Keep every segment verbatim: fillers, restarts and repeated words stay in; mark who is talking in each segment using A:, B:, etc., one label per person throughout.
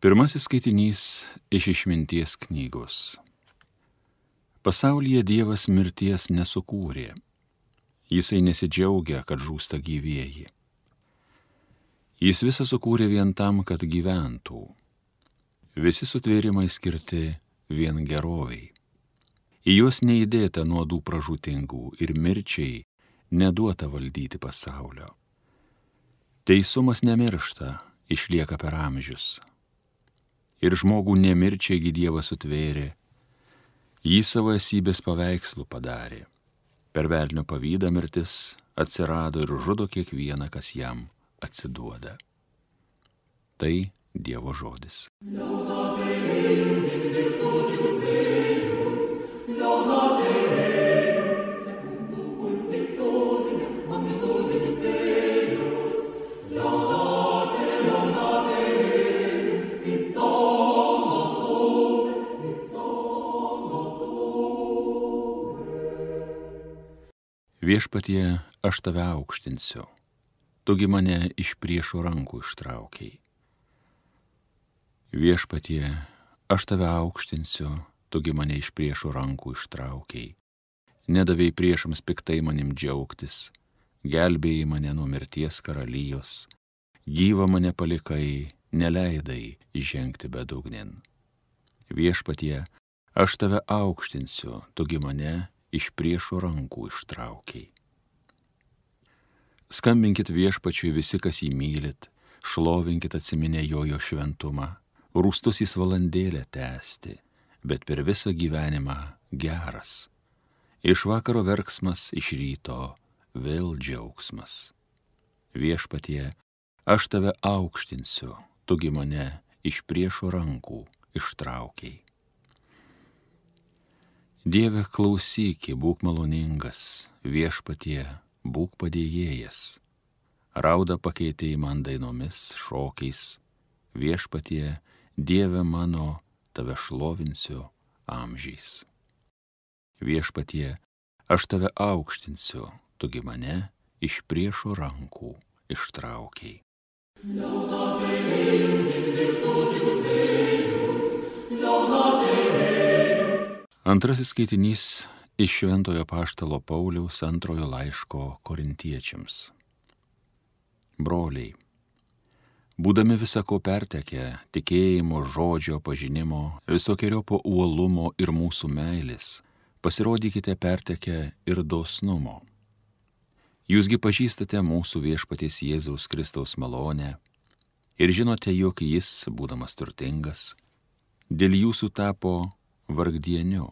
A: Pirmasis skaitinys iš Išminties knygos. Pasaulyje Dievas mirties nesukūrė. Jisai nesidžiaugia, kad žūsta gyvieji. Jis visą sukūrė vien tam, kad gyventų. Visi sutvėrimai skirti vien geroviai. Į juos neįdėta nuodų pražūtingų ir mirčiai neduota valdyti pasaulio. Teisumas nemiršta, išlieka per amžius. Ir žmogų nemirčiaigi Dievas sutvėrė, jį savo esybės paveikslų padarė. Per velnio pavydą mirtis atsirado ir žudo kiekvieną, kas jam atsiduoda. Tai Dievo žodis. Viešpatie, aš tave aukštinsiu, tugi mane iš priešų rankų ištraukiai. Viešpatie, aš tave aukštinsiu, tugi mane iš priešų rankų ištraukiai. Nedavėjai priešams piktai manim džiaugtis, gelbėjai mane nuo mirties karalijos, gyvą mane palikai, neleidai žengti bedugnin. Viešpatie, aš tave aukštinsiu, tugi mane iš priešų rankų ištraukiai. Skambinkit Viešpačiui visi, kas jį mylit, šlovinkit atsiminę jojo šventumą, rūstus jis valandėlę tęsti, bet per visą gyvenimą geras. Iš vakaro verksmas, iš ryto vėl džiaugsmas. Viešpatie, aš tave aukštinsiu, tugi mane iš priešų rankų ištraukiai. Dieve, klausyki, būk maloningas, Viešpatie, būk padėjėjas. Raudą pakeitei man dainomis, šokiais, Viešpatie, Dieve mano, tave šlovinsiu amžiais. Viešpatie, aš tave aukštinsiu, tugi mane iš priešų rankų ištraukiai. Antrasis skaitinys iš Šventojo Apaštalo Pauliaus antrojo laiško Korintiečiams. Broliai, būdami visako pertekę, tikėjimo, žodžio, pažinimo, visokiojopo uolumo ir mūsų meilės, pasirodykite pertekę ir dosnumo. Jūsgi pažįstate mūsų Viešpaties Jėzaus Kristaus malonę ir žinote, jog jis, būdamas turtingas, dėl jūsų tapo vargdieniu,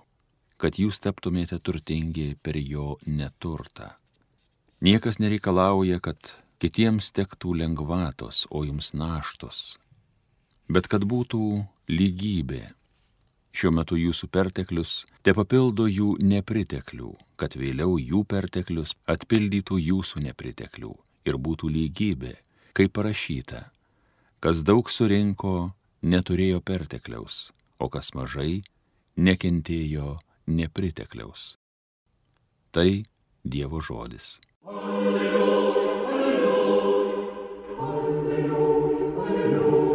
A: kad jūs taptumėte turtingi per jo neturtą. Niekas nereikalauja, kad kitiems tektų lengvatos, o jums naštos, bet kad būtų lygybė. Šiuo metu jūsų perteklius te papildo jų nepriteklių, kad vėliau jų perteklius atpildytų jūsų nepriteklių ir būtų lygybė, kaip parašyta, kas daug surinko, neturėjo pertekliaus, o kas mažai, nekentėjo nepritekliaus. Tai Dievo žodis. Alleluja, alleluja, alleluja, alleluja.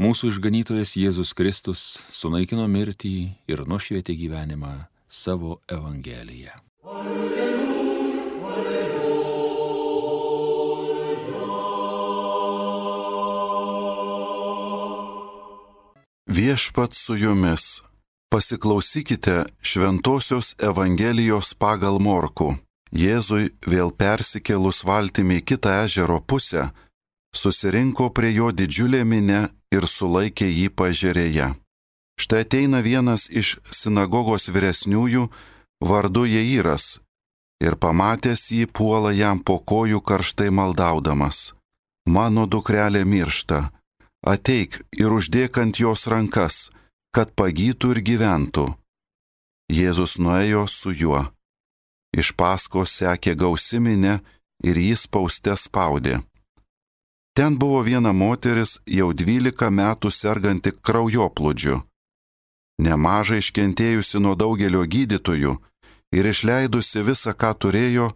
A: Mūsų išganytojas Jėzus Kristus sunaikino mirtį ir nušvietė gyvenimą savo Evangeliją. Alleluja, alleluja.
B: Viešpats su jumis. Pasiklausykite Šventosios Evangelijos pagal Morkų. Jėzui vėl persikėlus valtimi į kitą ežero pusę, susirinko prie jo didžiulė minia ir sulaikė jį paežerėje. Štai ateina vienas iš sinagogos vyresniųjų, vardu Jairas, ir pamatęs jį puola jam po kojų karštai maldaudamas. Mano dukrelė miršta, ateik ir uždėk ant jos rankas, kad pagytų ir gyventų. Jėzus nuėjo su juo. Iš paskos sekė gausi minia ir jį spauste spaudė. Ten buvo viena moteris, jau dvylika metų serganti kraujoplūdžiu. Nemažai iškentėjusi nuo daugelio gydytojų ir išleidusi visą, ką turėjo,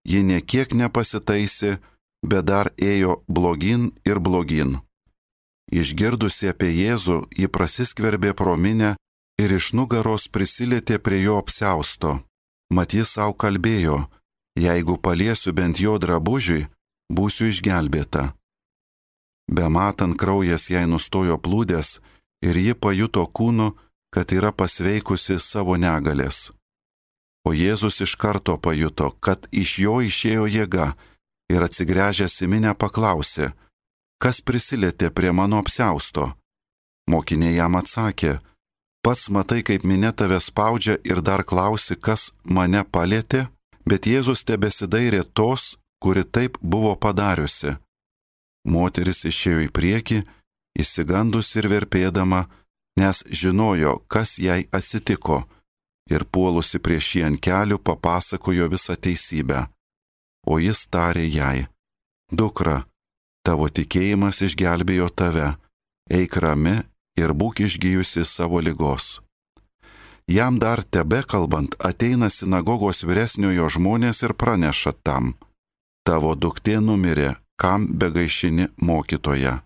B: ji niekiek nepasitaisė, bet dar ėjo blogin ir blogin. Išgirdusi apie Jėzų, ji prasiskverbė pro minią ir iš nugaros prisilietė prie jo apsiausto. Mat jis savo kalbėjo, jeigu paliesiu bent jo drabužiui, būsiu išgelbėta. Bematant kraujas jai nustojo plūdęs ir ji pajuto kūnu, kad yra pasveikusi savo negalės. O Jėzus iš karto pajuto, kad iš jo išėjo jėga ir atsigręžęs į minią paklausė, kas prisilietė prie mano apsiausto. Mokiniai jam atsakė, pats matai, kaip minia tave spaudžia ir dar klausi, kas mane palietė, bet Jėzus tebesidairė tos, kuri taip buvo padariusi. Moteris išėjo į priekį, išsigandusi ir verpėdama, nes žinojo, kas jai atsitiko, ir puolusi prieš jį ant kelių papasakojo visą teisybę. O jis tarė jai, dukra, tavo tikėjimas išgelbėjo tave, eik rami ir būk išgijusi savo ligos. Jam dar tebekalbant ateina sinagogos vyresniojo žmonės ir praneša tam, tavo duktė numirė, kam begaišini mokytoja.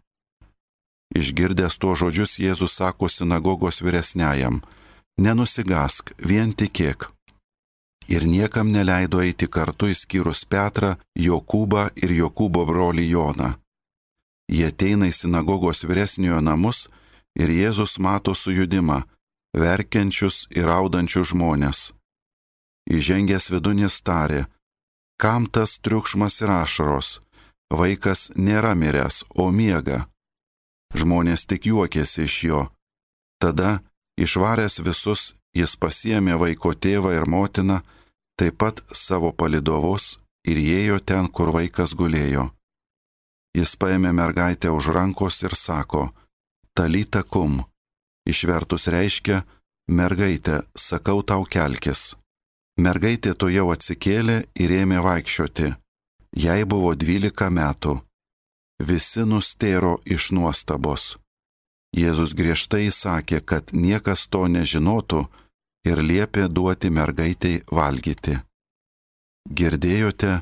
B: Išgirdęs tuo žodžius Jėzus sako sinagogos vyresniajam, nenusigask, vien tikėk. Ir niekam neleido eiti kartu išskyrus Petrą, Jokūbą ir Jokūbo brolį Joną. Jie ateina į sinagogos vyresniojo namus ir Jėzus mato sujudimą, verkiančius ir raudančius žmonės. Įžengęs vidun jis tarė, kam tas triukšmas ir ašaros, vaikas nėra miręs, o miega. Žmonės tik juokėsi iš jo. Tada, išvaręs visus, jis pasiėmė vaiko tėvą ir motiną, taip pat savo palydovus ir ėjo ten, kur vaikas gulėjo. Jis paėmė mergaitę už rankos ir sako, talita kum, išvertus reiškia, mergaitė, sakau tau kelkis. Mergaitė to jau atsikėlė ir ėmė vaikščioti. Jai buvo dvylika metų. Visi nustėro iš nuostabos. Jėzus griežtai įsakė, kad niekas to nežinotų ir liepė duoti mergaitei valgyti. Girdėjote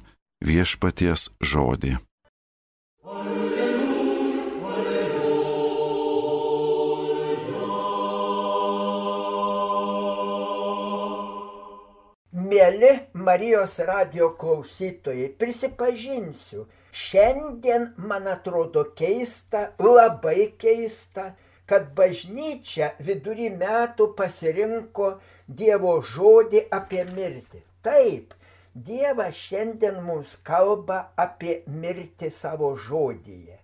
B: viešpaties žodį.
C: Mieli Marijos radijo klausytojai, prisipažinsiu, šiandien man atrodo keista, labai keista, kad bažnyčia vidury metų pasirinko Dievo žodį apie mirtį. Taip, Dievas šiandien mums kalba apie mirtį savo žodyje.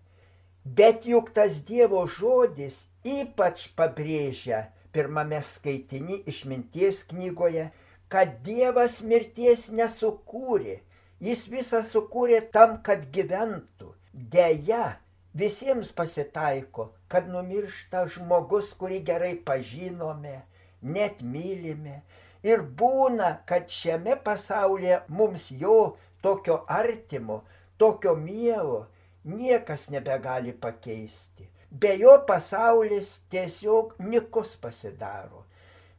C: Bet juk tas Dievo žodis ypač pabrėžia pirmame skaitiny Išminties knygoje, kad Dievas mirties nesukūrė, jis visą sukūrė tam, kad gyventų. Deja, visiems pasitaiko, kad numiršta žmogus, kurį gerai pažinome, net mylime. Ir būna, kad šiame pasaulyje mums jo tokio artimo, tokio mielo niekas nebegali pakeisti. Be jo pasaulis tiesiog nykus pasidaro.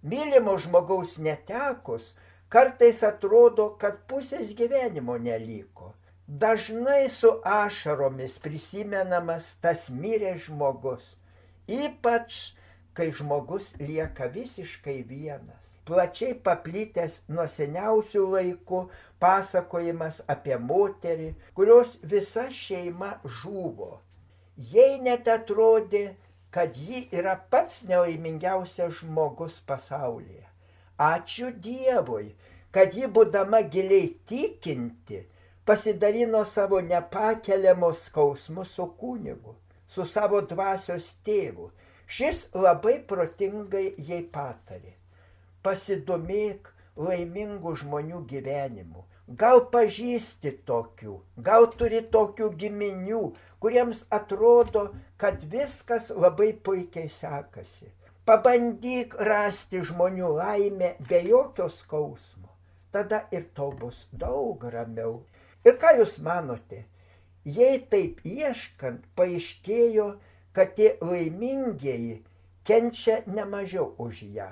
C: Mylimo žmogaus netekus, kartais atrodo, kad pusės gyvenimo neliko. Dažnai su ašaromis prisimenamas tas miręs žmogus, ypač kai žmogus lieka visiškai vienas. Plačiai paplitęs nuo seniausių laikų pasakojimas apie moterį, kurios visa šeima žuvo. Jai net atrodė, kad ji yra pats nelaimingiausias žmogus pasaulyje. Ačiū Dievui, kad ji, būdama giliai tikinti, pasidalino savo nepakeliamos skausmus su kunigu, su savo dvasios tėvu. Šis labai protingai jai patarė. Pasidomėk laimingų žmonių gyvenimu. Gal pažįsti tokių, gal turi tokių giminių, kuriems atrodo, kad viskas labai puikiai sekasi. Pabandyk rasti žmonių laimę be jokio skausmo. Tada ir tau bus daug ramiau. Ir ką jūs manote? Jei taip ieškant, paaiškėjo, kad tie laimingieji kenčia ne mažiau už ją,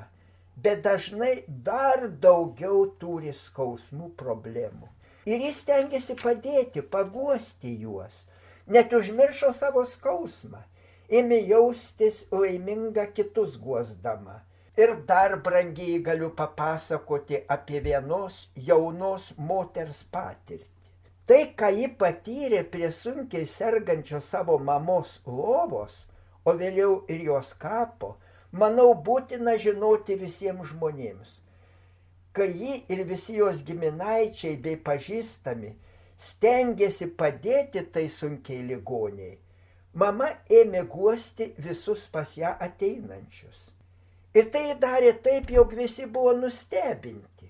C: bet dažnai dar daugiau turi skausmų problemų. Ir jis stengiasi padėti, paguosti juos, net užmiršo savo skausmą. ėmė jaustis laiminga kitus guosdama. Ir dar, brangiai, galiu papasakoti apie vienos jaunos moters patirtį. Tai, ką ji patyrė prie sunkiai sergančios savo mamos lovos, o vėliau ir jos kapo, manau, būtina žinoti visiems žmonėms. Kai ji ir visi jos giminaičiai bei pažįstami stengėsi padėti tai sunkiai ligoniai, mama ėmė guosti visus pas ją ateinančius. Ir tai darė taip, jog visi buvo nustebinti.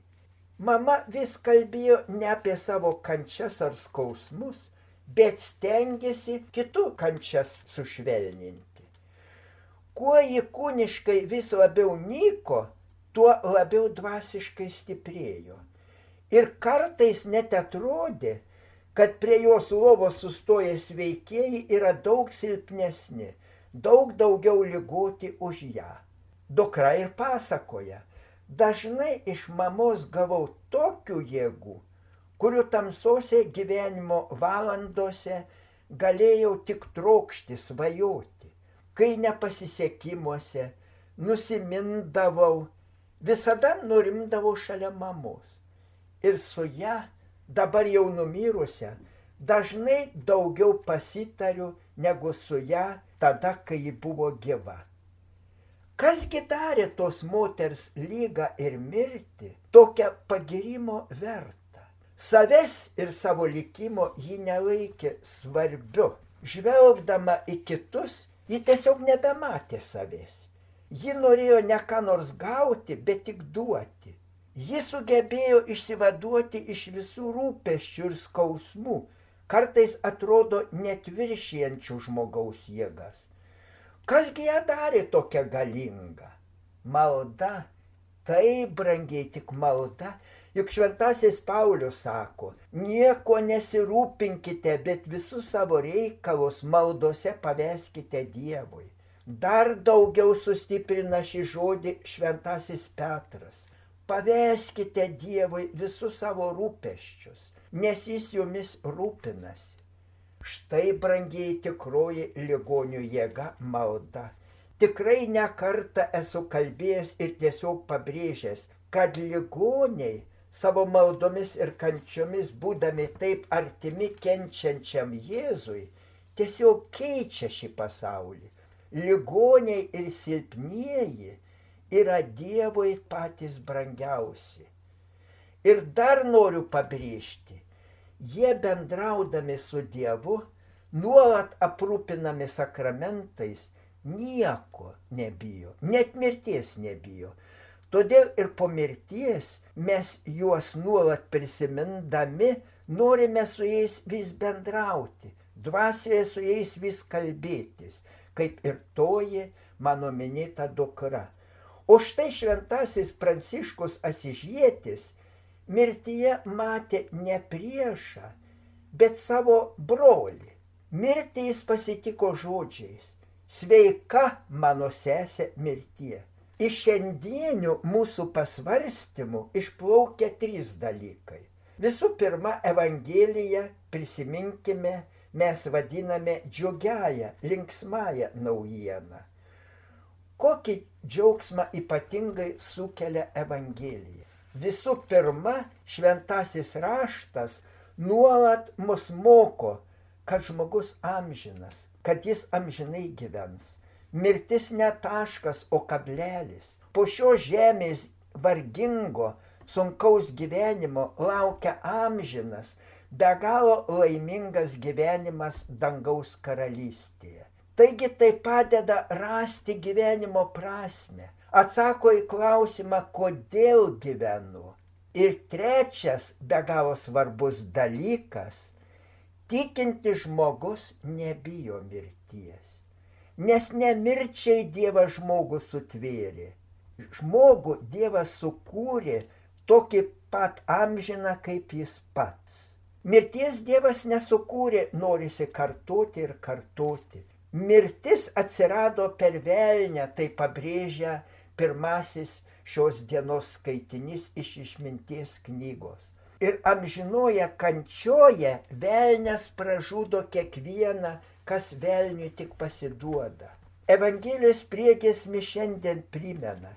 C: Mama vis kalbėjo ne apie savo kančias ar skausmus, bet stengėsi kitų kančias sušvelninti. Kuo ji kūniškai vis labiau nyko, tuo labiau dvasiškai stiprėjo. Ir kartais net atrodė, kad prie jos lovos sustoję sveikieji yra daug silpnesni, daug daugiau ligoti už ją. Dukra ir pasakoja, dažnai iš mamos gavau tokių jėgų, kurių tamsose gyvenimo valandose galėjau tik trokšti, svajoti. Kai nepasisekimuose nusimindavau, visada nurimdavau šalia mamos. Ir su ją, dabar jau numirusią, dažnai daugiau pasitariu negu su ją tada, kai ji buvo gyva. Kasgi darė tos moters lygą ir mirtį tokią pagirimo vertą? Savęs ir savo likimo ji nelaikė svarbiu. Žvelgdama į kitus, ji tiesiog nebematė savęs. Ji norėjo ne ką nors gauti, bet tik duoti. Ji sugebėjo išsivaduoti iš visų rūpesčių ir skausmų, kartais atrodo net viršijančių žmogaus jėgas. Kasgi ją darė tokia galinga? Malda, tai brangiai tik malda, juk šventasis Paulius sako, nieko nesirūpinkite, bet visus savo reikalus maldose paveskite Dievui. Dar daugiau sustiprina šį žodį šventasis Petras. Paveskite Dievui visus savo rūpesčius, nes jis jumis rūpinasi. Štai, brangiai, tikroji ligonių jėga malda. Tikrai ne kartą esu kalbėjęs ir tiesiog pabrėžęs, kad ligoniai savo maldomis ir kančiomis, būdami taip artimi kenčiančiam Jėzui, tiesiog keičia šį pasaulį. Ligoniai ir silpnieji yra Dievui patys brangiausi. Ir dar noriu pabrėžti, jie bendraudami su Dievu, nuolat aprūpinami sakramentais, nieko nebijo, net mirties nebijo. Todėl ir po mirties mes juos nuolat prisimindami norime su jais vis bendrauti, dvasioje su jais vis kalbėtis, kaip ir toji mano minėta dukra. O štai šventasis Pranciškus Asižietis mirtyje matė ne priešą, bet savo brolį. Mirtį jis pasitiko žodžiais: sveika mano sesė mirtie. Iš šiandienių mūsų pasvarstymų išplaukia trys dalykai. Visų pirma, Evangeliją, prisiminkime, mes vadiname džiugiąją, linksmąją naujieną. Kokį džiaugsmą ypatingai sukelia Evangelija? Visų pirma, šventasis raštas nuolat mus moko, kad žmogus amžinas, kad jis amžinai gyvens. Mirtis ne taškas, o kablelis. Po šio žemės vargingo, sunkaus gyvenimo laukia amžinas, be galo laimingas gyvenimas dangaus karalystėje. Taigi tai padeda rasti gyvenimo prasmę, atsako į klausimą, kodėl gyvenu. Ir trečias be galo svarbus dalykas, tikintis žmogus nebijo mirties. Nes ne mirčiai Dievas žmogų sutvėrė. Žmogų Dievas sukūrė tokį pat amžiną kaip jis pats. Mirties Dievas nesukūrė, norisi kartoti ir kartoti. Mirtis atsirado per velnią, tai pabrėžia pirmasis šios dienos skaitinys iš Išminties knygos. Ir amžinoje kančioje velnias pražudo kiekvieną, kas velniui tik pasiduoda. Evangelijos priegiesmi šiandien primena,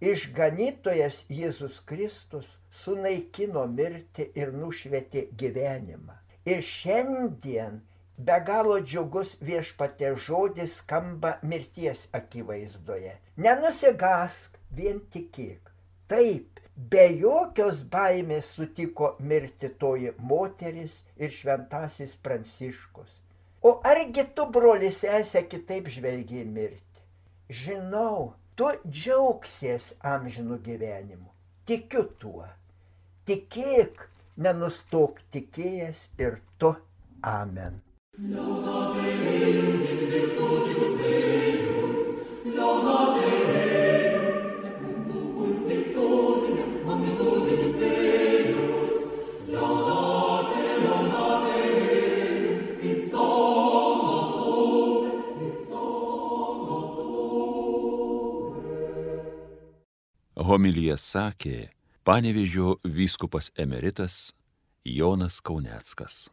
C: išganytojas Jėzus Kristus sunaikino mirtį ir nušvietė gyvenimą. Ir šiandien be galo džiugus Viešpaties žodis skamba mirties akivaizdoje. Nenusigąsk, vien tikėk. Taip, be jokios baimės sutiko mirti toji moteris ir šventasis Pranciškus. O argi tu, broli sesė, kitaip žvelgiai mirti? Žinau, tu džiaugsies amžinu gyvenimu. Tikiu tuo. Tikėk, nenustok tikėjęs ir tu. Amen. Laudate Deum in virtutibus eius, laudate Deum secundum multitudinem magnitudibus eius, laudate, laudate Deum in somno tuum, in somno tuum.
A: Homiliją sakė Panevėžio vyskupas emeritas Jonas Kauneckas.